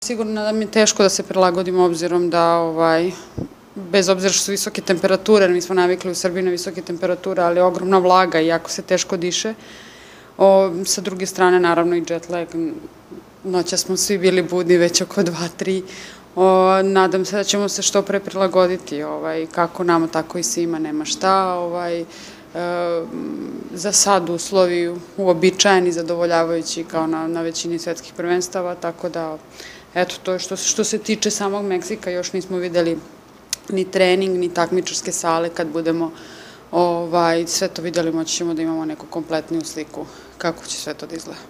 Sigurno da mi je teško da se prilagodimo obzirom da, bez obzira što su visoke temperature, mi smo navikli u Srbiji na visoke temperature, ali je ogromna vlaga i jako se teško diše. Sa druge strane, naravno i jet lag, noća smo svi bili budni već oko 2-3. Nadam se da ćemo se što pre prilagoditi, kako nama, tako i svima, nema šta. Za sad uslovi uobičajeni, zadovoljavajući kao na većini svetskih prvenstava, tako da, eto, to je što se tiče samog Meksika, još nismo videli ni trening, ni takmičarske sale. Kad budemo sve to videli, moći ćemo da imamo neku kompletniju sliku kako će sve to da izgleda.